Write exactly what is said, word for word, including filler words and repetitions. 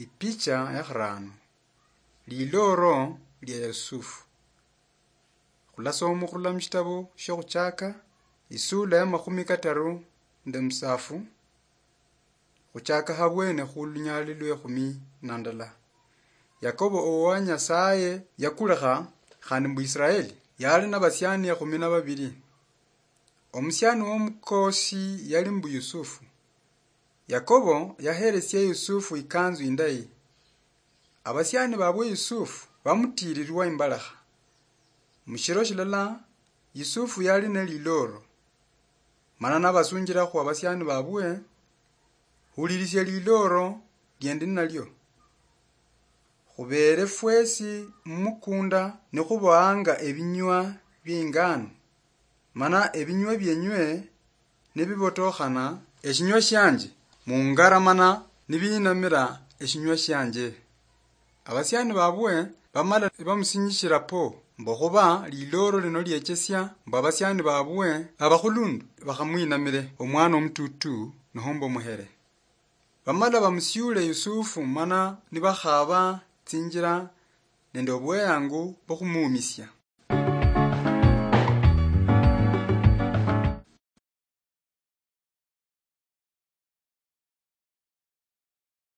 Ipicha ya khurano. Liloro lia Yusufu. Khulasoma khurula mushitabo shia Khuchaka, isula ya makhumi kataru nende musafu, khuchaka habwene khulunyali lwe khumi na ndala. Yakobo owa Nyasaye yakulekha khandi mbu Israeli, yali nabasiani ekhumi na babiri. Omusiani womukosi yali mbu Yusufu. Yakobo yaheresia Yusufu ikanzu indayi. Abasiani babwe Yusufu bamutiirirwa imbalakha. Mushiro shilala, Yusufu yali ne liloro. Mana nabasunjira khu abasiani babwe, hulirisia liloro liendi nalio. Khubeere fwesi mumukunda nikhuboanga ebinywa biengano, mana ebinywa bienywe nibibotokhana, eshinywa shianje mungaramana nibiinamira eshinywa shianje. Abasiani babwe bamala bamusinyishira po, mbu khuba liloro lino liechesia mbu abasiani babwe abakhulundu bakhamwinamire omwana omututu nohomba omuhere. Bamala bamusiule Yusufu mana nibakhaba tsinjira nende obweyangu bwokhumuumisia.